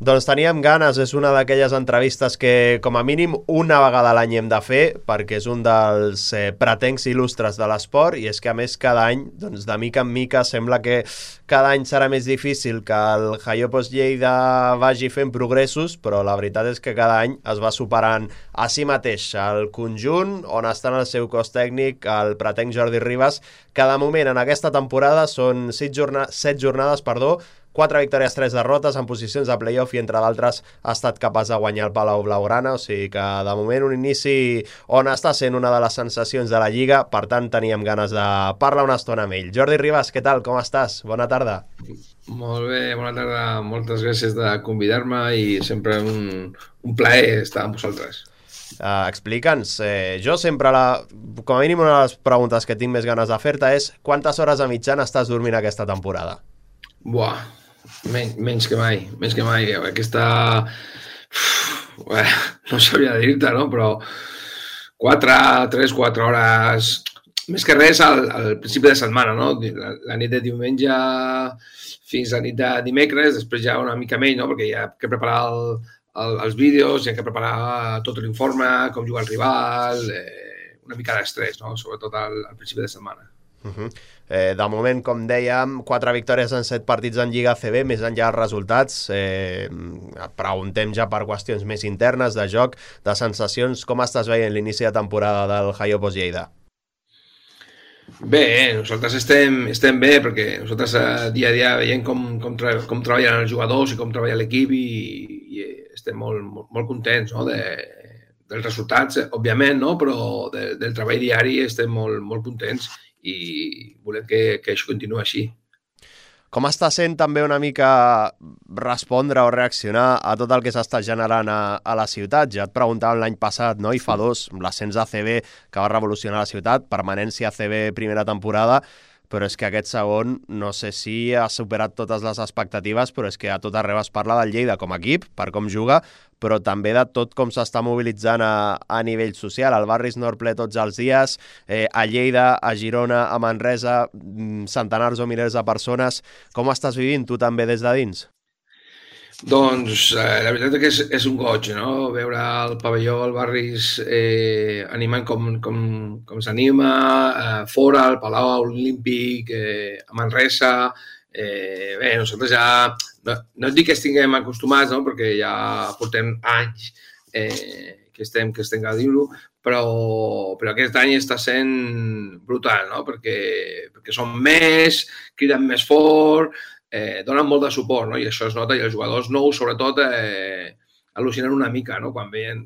Doncs teníem ganes, és una d'aquelles entrevistes que com a mínim una vegada a l'any hem de fer, perquè és un dels pretencs il·lustres de l'esport, i és que a més cada any, doncs de mica en mica, sembla que cada any serà més difícil que el Jaiopos Lleida vagi fent progressos, però la veritat és que cada any es va superant a si mateix. El conjunt, on està en el seu cos tècnic, el pretenc Jordi Ribas, cada moment en aquesta temporada són 7 jornades, 4 victòries, 3 derrotes en posicions de playoff i entre d'altres ha estat capaç de guanyar el Palau Blaugrana, o sigui que de moment un inici on està sent una de les sensacions de la Lliga, per tant teníem ganes de parlar una estona amb ell. Jordi Ribas, què tal? Com estàs? Bona tarda. Molt bé, bona tarda. Moltes gràcies de convidar-me i sempre un plaer estar amb vosaltres. Explica'ns, jo sempre com a mínim una de les preguntes que tinc més ganes de fer-te és quantes hores a mitjana estàs dormint aquesta temporada? Buah, menys que mai, menys que mai. Aquesta... no sabria dir-te, no? Però 3-4 hores... Més que res al principi de setmana, no? La nit de diumenge fins a la nit de dimecres, després ja una mica menys, no? Perquè hi ha que preparar els vídeos, hi ha que preparar tot l'informe, com juga el rival, una mica d'estrès, no? Sobretot al principi de setmana. De moment, com dèiem, 4 victòries en 7 partits en Lliga ACB, més enllà dels resultats. Preguntem ja per qüestions més internes de joc, de sensacions. Com estàs veient l'inici de temporada del Jaiopos Lleida? Bé, nosaltres estem bé perquè nosaltres dia a dia veiem com treballen els jugadors i com treballa l'equip i estem molt contents, no? Dels resultats, òbviament, no? Però del treball diari estem molt contents i volem que això continuï així. Com està sent també una mica respondre o reaccionar a tot el que s'està generant a la ciutat? Ja et preguntàvem l'any passat, no? I fa 2, l'ascens a ACB que va revolucionar la ciutat, permanència a ACB primera temporada, però és que aquest segon no sé si ha superat totes les expectatives, però és que a tot arreu es parla del Lleida com a equip, per com juga, però també de tot com s'està mobilitzant a nivell social. El barri és nord ple tots els dies, a Lleida, a Girona, a Manresa, centenars o milers de persones. Com ho estàs vivint tu també des de dins? Doncs la veritat és que és un goig, no? Veure el pavelló, el barris animant com s'anima, fora, al Palau Olímpic, a Manresa. Bé, nosaltres ja... No et dic que estiguem acostumats, no? Perquè ja portem anys que estem gaudint-lo, però aquest any està sent brutal, no? Perquè són més, criden més fort, donen molt de suport, no? I això es nota, i els jugadors nous, sobretot, al·lucinen una mica, no? Quan veien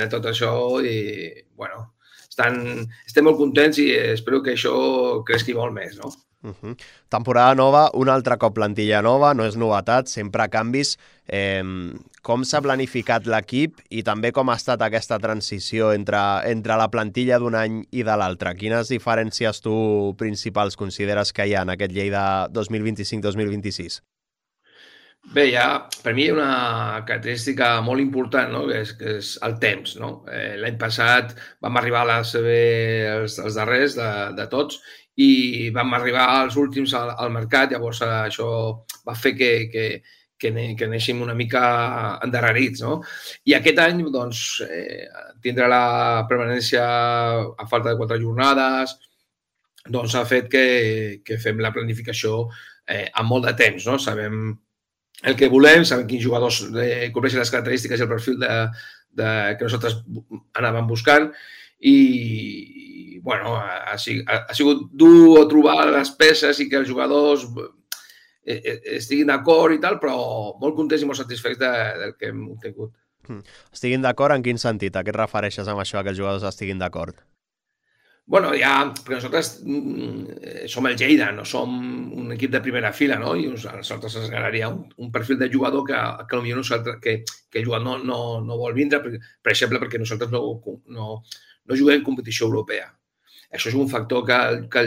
tot això i, bueno, estem molt contents i espero que això creixi molt més, no? Temporada nova, un altre cop plantilla nova, no és novetat, sempre canvis. Com s'ha planificat l'equip i també com ha estat aquesta transició entre la plantilla d'un any i de l'altre? Quines diferències tu principals consideres que hi ha en aquest Lleida 2025-2026? Bé, per mi hi ha una característica molt important, no? que és el temps. No? L'any passat vam arribar a els darrers de tots i vam arribar als últims al mercat, llavors això va fer que anéssim una mica endarrerits. No? I aquest any doncs, tindrà la permanència a falta de 4 jornades, doncs ha fet que fem la planificació amb molt de temps. No? Sabem el que volem, sabem quins jugadors cobreixen les característiques i el perfil que nosaltres anàvem buscant i bueno, ha sigut dur trobar les peces i que els jugadors estiguin d'acord i tal, però molt contents i molt satisfets del que hem obtingut. Estiguin d'acord en quin sentit? A què et refereixes amb això, que els jugadors estiguin d'acord? Bueno, perquè nosaltres som el Lleida, no som un equip de primera fila, no? I a nosaltres ens agradaria un perfil de jugador que potser el jugador no vol vindre, per exemple, perquè nosaltres no juguem en competició europea. Això és un factor que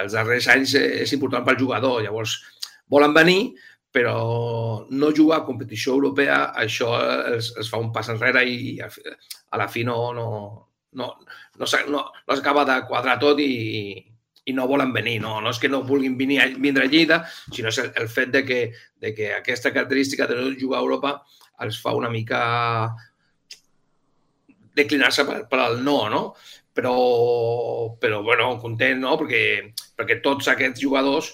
els darrers anys és important pel jugador. Llavors, volen venir, però no jugar a competició europea, això els fa un pas enrere i a la fi no s'acaba de quadrar tot i i no volen venir. No és que no vulguin vindre a Lleida, sinó és el fet de que aquesta característica de no jugar a Europa els fa una mica declinar-se per al no? Però bueno, content, no? Perquè tots aquests jugadors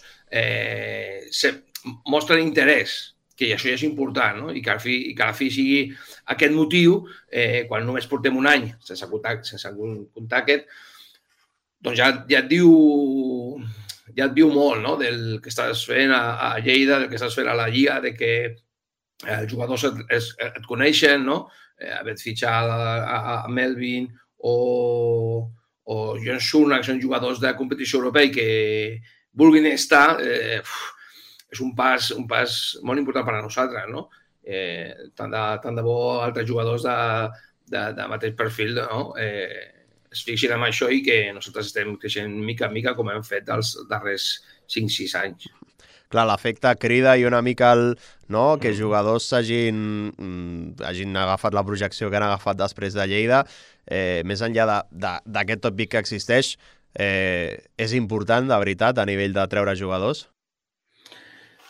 mostren interès, que això ja és important, no? I que a la fi sigui aquest motiu, quan només portem un any sense comptar aquest, doncs ja et diu molt, no? Del que estàs fent a Lleida, del que estàs fent a la Lliga, de que els jugadors et coneixen, no? Haver fitxat a Melvin o John Surna, que són jugadors de competició europea i que vulguin estar, és un pas molt important per a nosaltres, no? Tant de bo altres jugadors de mateix perfil, no? Es fixin en això i que nosaltres estem creixent mica en mica com hem fet els darrers 5-6 anys. Clar, l'efecte crida i una mica que jugadors hagin agafat la projecció que han agafat després de Lleida, més enllà d'aquest tòpic que existeix, és important, de veritat, a nivell de treure jugadors?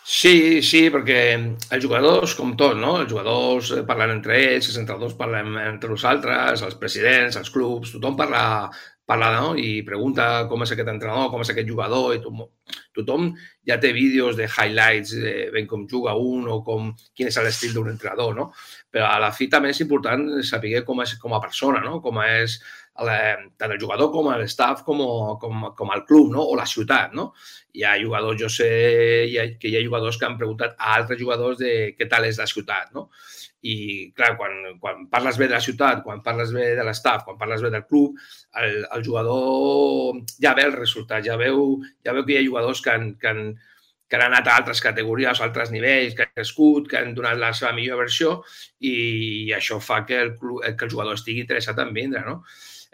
Sí, perquè els jugadors, com tot, no? Els jugadors parlen entre ells, els entrenadors parlen entre nosaltres, els presidents, els clubs, tothom parla, no? I pregunta com és aquest entrenador, com és aquest jugador, i tothom ja té vídeos de highlights, ben com juga un o quin és l'estil d'un entrenador, no? Però a la fi també és important saber com és com a persona, no? Com és tant el jugador com l'staff com el club, no? O la ciutat, no? Hi ha jugadors, jo sé que hi ha jugadors que han preguntat a altres jugadors de què tal és la ciutat, no? I, clar, quan parles bé de la ciutat, quan parles bé de l'staff, quan parles bé del club, el jugador ja ve el resultat, ja veu que hi ha jugadors que han anat a altres categories, a altres nivells, que han crescut, que han donat la seva millor versió i això fa que el jugador estigui interessat en vindre, no?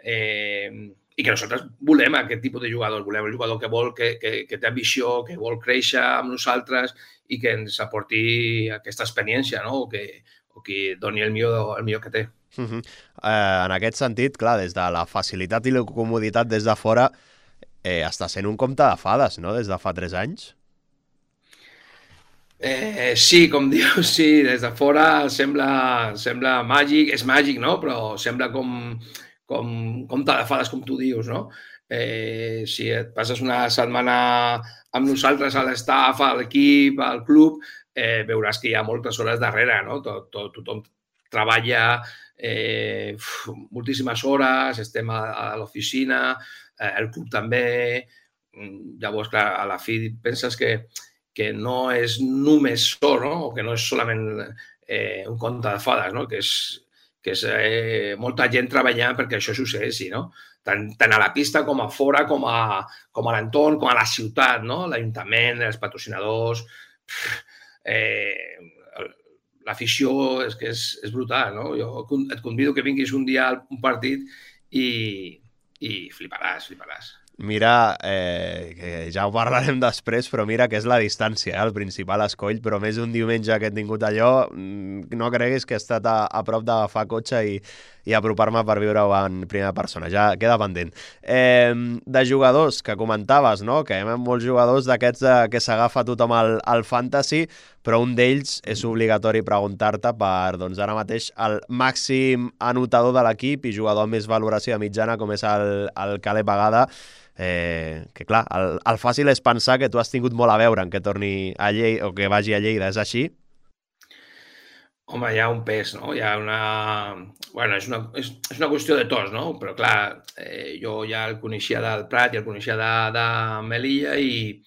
I que nosaltres volem aquest tipus de jugadors, volem el jugador que vol, que té ambició, que vol créixer amb nosaltres i que ens aporti aquesta experiència, no? O que doni el millor que té. En aquest sentit, clar, des de la facilitat i la comoditat des de fora, està sent un conte de fades, no?, des de fa 3 anys. Sí, com dius, sí, des de fora sembla màgic, és màgic, no? Però sembla com conte de fades, com tu dius, no? Si et passes una setmana amb nosaltres a l'estaff, a l'equip, al club, veuràs que hi ha moltes hores darrere, no? Tothom treballa moltíssimes hores, estem a l'oficina, el club també. Llavors, clar, a la fi penses que no és només so, no? O que no és solament un conte de fades, no? Que és molta gent treballant perquè això succeeixi, no? Tant a la pista com a fora, com a l'entorn, com a la ciutat, no? L'Ajuntament, els patrocinadors... L'afició és que és brutal, no? Jo et convido que vinguis un dia a un partit i fliparàs. Mira, que ja ho parlarem després, però mira que és la distància, el principal escoll, però més un diumenge que he tingut allò, no creguis que he estat a prop d'agafar cotxe i apropar-me per viure-ho en primera persona, ja queda pendent. De jugadors que comentaves, no?, que hi ha molts jugadors d'aquests que s'agafa tothom al fantasy, però un d'ells és obligatori preguntar-te per, doncs ara mateix, el màxim anotador de l'equip i jugador amb més valoració mitjana, com és el Caleb Agada, que clar, el fàcil és pensar que tu has tingut molt a veure en que torni a Lleida o que vagi a Lleida, és així? Home, hi ha un pes, no? Hi ha una... Bueno, és una qüestió de tots, no? Però clar, jo ja el coneixia del Prat i el coneixia de Melilla i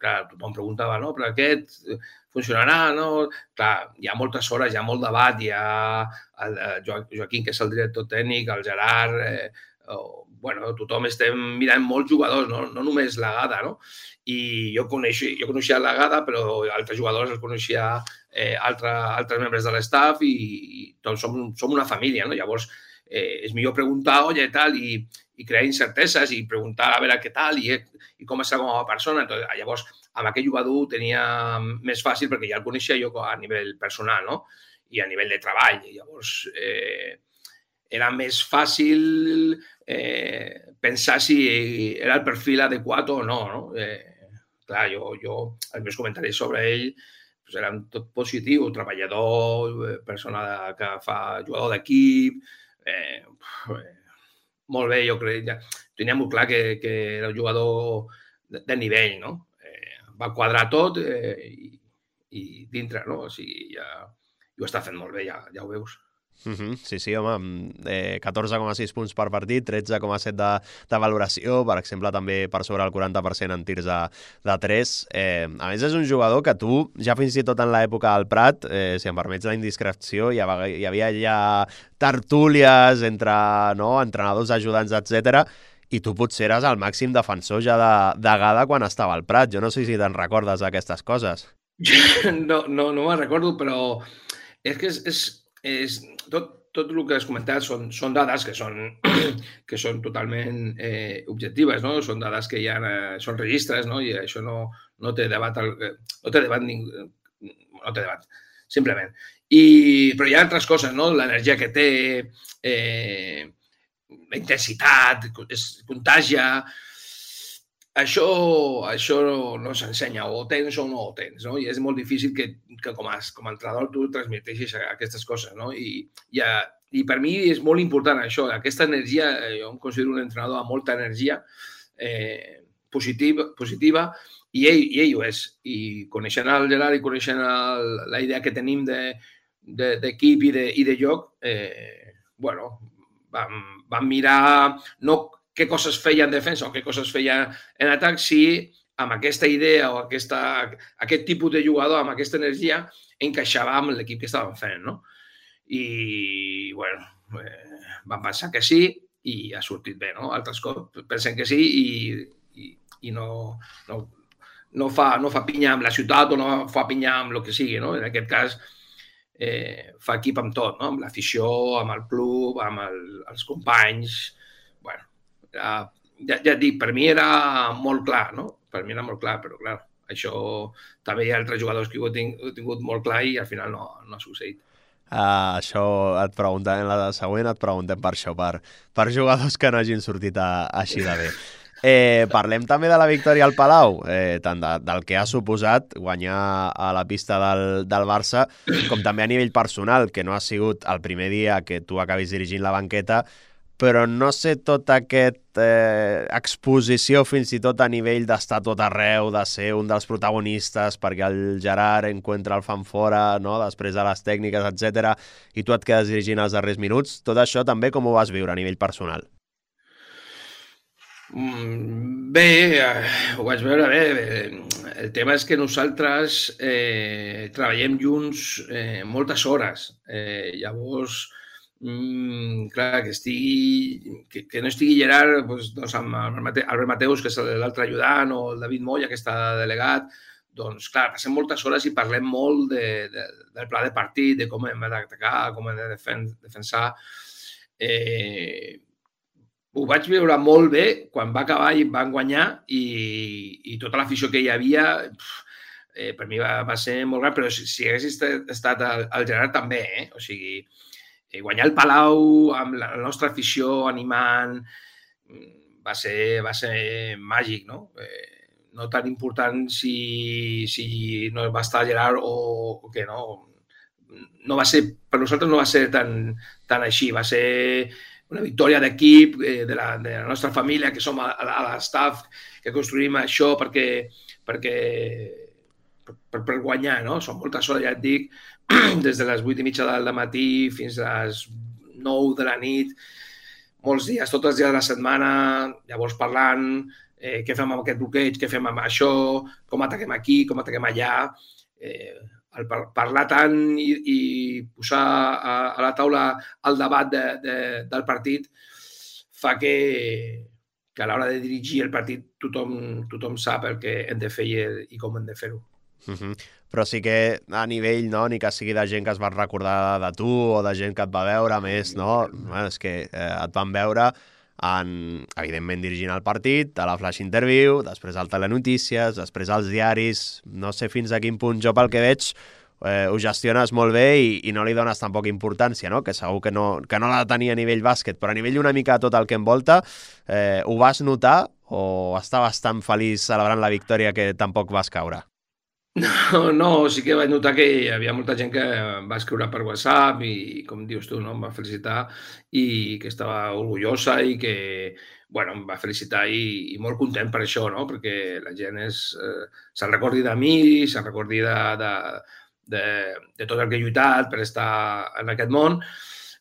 clar, tothom preguntava, no? Però aquest funcionarà, no? Clar, hi ha moltes hores, hi ha molt debat, hi ha el Joaquín, que és el director tècnic, el Gerard... Bueno, tothom estem mirant molts jugadors, no només l'Agada, no? I jo coneixia l'Agada, però altres jugadors els coneixia altres membres de l'estaff i tots som una família, no? Llavors, és millor preguntar, oye, tal, i crear incerteses i preguntar a veure què tal i com està com a persona. Llavors, amb aquell jugador ho tenia més fàcil perquè ja el coneixia jo a nivell personal, no? I a nivell de treball. Llavors, era més fàcil pensar si era el perfil adequat o no, no? Clar, els meus comentaris sobre ell pues, eren tot positiu, treballador, persona que fa jugador d'equip, molt bé, jo crec, ja tenia molt clar que era un jugador de nivell, no? Va quadrar tot i dintre, no? O sigui, ja ho està fent molt bé, ja ho veus. Sí, sí, home, 14,6 punts per partit, 13,7 de valoració, per exemple, també per sobre el 40% en tirs de 3. A més, és un jugador que tu, ja fins i tot en l'època del Prat, si em permets la indiscreció, hi havia ja tertúlies entre entrenadors, ajudants, etc. I tu potser eres el màxim defensor ja de Gada quan estava al Prat. Jo no sé si te'n recordes d'aquestes coses. No me'n recordo, però és que és tot el que has comentat són dades que són totalment objectives, no? Són dades que ja són registres, no? I això no té debat, simplement. Però hi ha altres coses, no? L'energia que té, la intensitat, es contagia. Això no s'ensenya, o ho tens o no ho tens, no? I és molt difícil que com a entrenador tu transmeteixis aquestes coses, no? I per mi és molt important això, aquesta energia, jo em considero un entrenador amb molta energia positiva, i ell ho és. I coneixent el Gerard i coneixent la idea que tenim d'equip i de joc, vam mirar no què coses feia en defensa o què coses feia en atac, si amb aquesta idea o aquest tipus de jugador, amb aquesta energia, encaixava amb l'equip que estàvem fent, no? I, vam pensar que sí i ha sortit bé, no? Altres cops pensen que sí i no fa pinya amb la ciutat o no fa pinya amb el que sigui, no? En aquest cas, fa equip amb tot, no? Amb l'afició, amb el club, amb els companys. Ja et dic, per mi era molt clar, no? Per mi era molt clar, però clar, això també hi ha altres jugadors que ho he tingut molt clar i al final no ha succeït. Això et preguntem, en la següent et preguntem per això, per jugadors que no hagin sortit així de bé. Parlem també de la victòria al Palau, tant del que ha suposat guanyar a la pista del Barça, com també a nivell personal, que no ha sigut el primer dia que tu acabis dirigint la banqueta, però no sé tota aquesta exposició fins i tot a nivell d'estar tot arreu, de ser un dels protagonistes perquè el Gerard encuentra el fan fora, no? Després de les tècniques, etc. I tu et quedes dirigint els darrers minuts. Tot això també com ho vas viure a nivell personal? Bé, ho vaig veure bé. El tema és que nosaltres treballem junts moltes hores. Llavors, clar, que no estigui Gerard doncs amb Albert Mateus, que és l'altre ajudant, o el David Moya, que està delegat, doncs clar, passem moltes hores i parlem molt del pla de partit, de com hem d'atacar, com hem de defensar. Ho vaig veure molt bé quan va acabar i van guanyar i tota l'afició que hi havia, per mi va ser molt gran, però si hagués estat el Gerard també, o sigui, guanyar el Palau amb la nostra afició animant va ser màgic, no? No tan important si no va estar Gerard o que no. No va ser, per nosaltres no va ser tan així, va ser una victòria d'equip, de la nostra família, que som a l'estaf, que construïm això per guanyar, no? Són moltes hores, ja et dic, des de les 8:30 del matí fins a les 9 de la nit, molts dies, tots els dies de la setmana, llavors parlant, què fem amb aquest bloqueig, què fem amb això, com ataquem aquí, com ataquem allà. El parlar tant i posar a la taula el debat del partit fa que a l'hora de dirigir el partit tothom sap el que hem de fer i com hem de fer-ho. Però sí que a nivell, no, ni que sigui de gent que es va recordar de tu o de gent que et va veure més, no? És que et van veure evidentment dirigint el partit, a la Flash Interview, després al Telenotícies, després als diaris, no sé fins a quin punt jo pel que veig ho gestiones molt bé i no li dones tampoc importància, no? Que segur que no l'ha de tenir a nivell bàsquet, però a nivell una mica tot el que envolta, ho vas notar o està bastant feliç celebrant la victòria que tampoc vas caure? No, sí que vaig notar que hi havia molta gent que em va escriure per WhatsApp i, com dius tu, no, em va felicitar i que estava orgullosa i que, bueno, em va felicitar i molt content per això, no? Perquè la gent se'n recordi de mi, se'n recordi de tot el que he lluitat per estar en aquest món,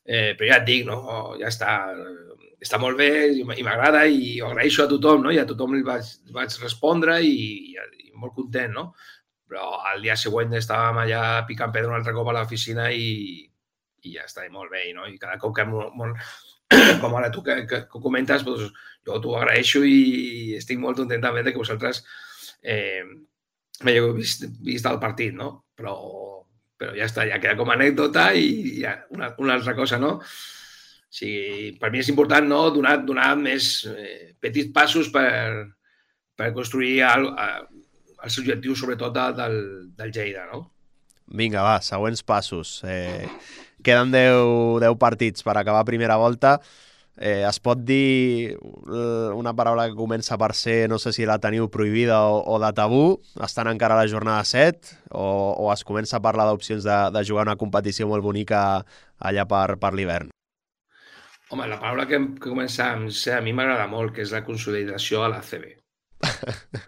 però ja et dic, no? Ja està molt bé i m'agrada i ho agraeixo a tothom, no? I a tothom li vaig respondre i molt content, no? Però al dia següent estàvem allà picant pedra un altre cop a l'oficina i ja està, molt bé, no? I cada cop que com ara tu que ho comentes, doncs, jo t'ho agraeixo i estic molt content també de que vosaltres m'heu vist el partit, no? Però ja està, ja queda com a anècdota i ja, una altra cosa, no? O sigui, per mi és important, no?, donar més petits passos per construir els objectius, sobretot, del Lleida, no? Vinga, va, següents passos. Queden 10 partits per acabar primera volta. Es pot dir una paraula que comença per ser, no sé si la teniu prohibida o de tabú, estan encara a la jornada 7, o es comença a parlar d'opcions de jugar una competició molt bonica allà per l'hivern? Home, la paraula que comença a mi m'agrada molt, que és la consolidació a l'ACB.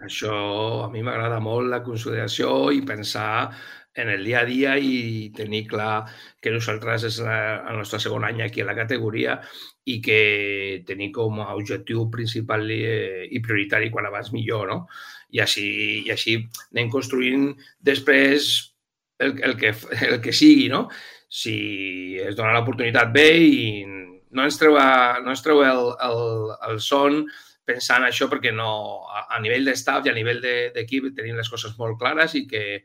Això a mi m'agrada molt, la consolidació i pensar en el dia a dia i tenir clar que nosaltres és el nostre segon any aquí a la categoria i que tenir com a objectiu principal i prioritari quan abans millor, no? I així anem construint després el que sigui, no? Si es dona l'oportunitat bé i no ens treu el son pensant això perquè a nivell d'estaf i a nivell d'equip tenim les coses molt clares i que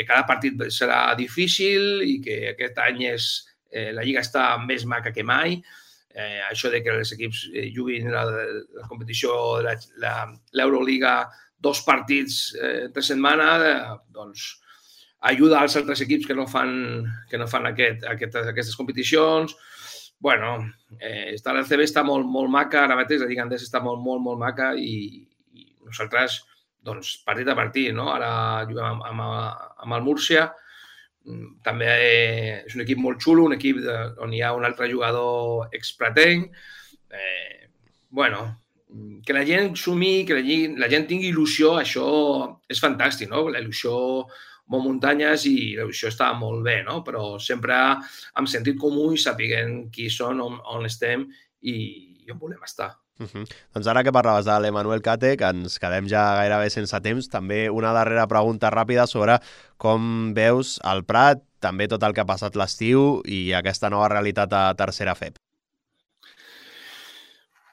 cada partit serà difícil i que aquest any la Lliga està més maca que mai. Això de que els equips juguin la competició de l'Euroliga 2 partits entre setmana, doncs ajuda als altres equips que no fan aquestes competicions. Bueno, la CB està molt maca, ara mateix la Lliga Endesa està molt maca i nosaltres, doncs, partit a partit, no? Ara juguem amb el Múrcia, també és un equip molt xulo, un equip on hi ha un altre jugador expratenc. Bueno, que la gent sumi, que la gent tingui il·lusió, això és fantàstic, no? La il·lusió molt muntanyes i això està molt bé, no? Però sempre amb sentit comú i sapiguent qui són, on estem i on volem estar. Doncs ara que parlaves de l'Emanuel Cate, que ens quedem ja gairebé sense temps, també una darrera pregunta ràpida sobre com veus el Prat, també tot el que ha passat l'estiu i aquesta nova realitat a tercera FEP.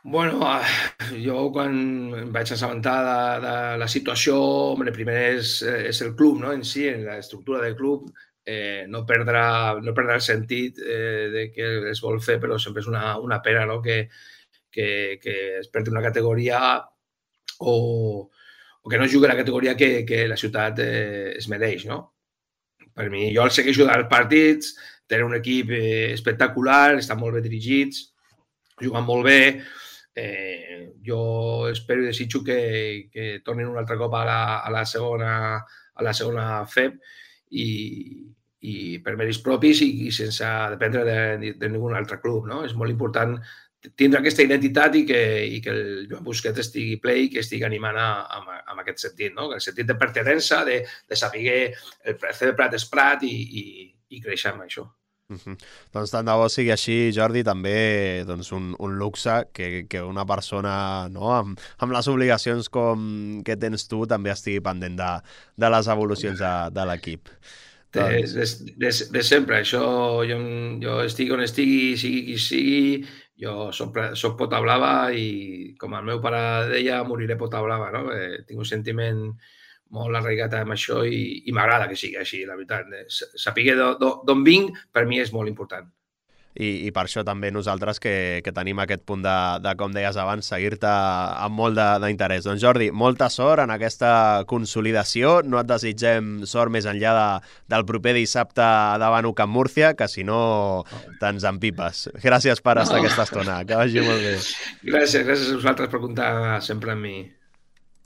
Bueno, jo quan em vaig assabentar de la situació, primer és el club, no?, en si, en l'estructura del club, no perdre el sentit de que es vol fer, però sempre és una pena, no?, que es perdi una categoria o que no jugui la categoria que la ciutat es mereix, no? Per mi, jo el segueixo dels partits, tenen un equip espectacular, estan molt bé dirigits, juguen molt bé. Jo espero i desitjo que tornin un altre cop a la segona FEP i per mèrits propis i sense dependre de ningú altre club, no? És molt important tindre aquesta identitat i que el Joan Busquets estigui ple i que estigui animant en aquest sentit, no? El sentit de pertinença, de saber el CB Prat és Prat i créixer amb això. Doncs tant de bo sigui així, Jordi, també doncs, un luxe que una persona, no, amb les obligacions que tens tu també estigui pendent de les evolucions de l'equip. De sempre, això jo estigui on estigui, sigui qui sigui, jo soc pota blava i com el meu pare deia, moriré pota blava, no? Tinc un sentiment molt arraigat amb això i m'agrada que sigui així, la veritat. Saber d'on vinc, per mi és molt important. i per això també nosaltres que tenim aquest punt de, com deies abans, seguir-te amb molt d'interès. Doncs Jordi, molta sort en aquesta consolidació, no et desitgem sort més enllà del proper dissabte davant UCAM Múrcia, que si no te'ns empipes. Gràcies per estar aquesta estona, que vagi molt bé. Gràcies a vosaltres per comptar sempre amb mi.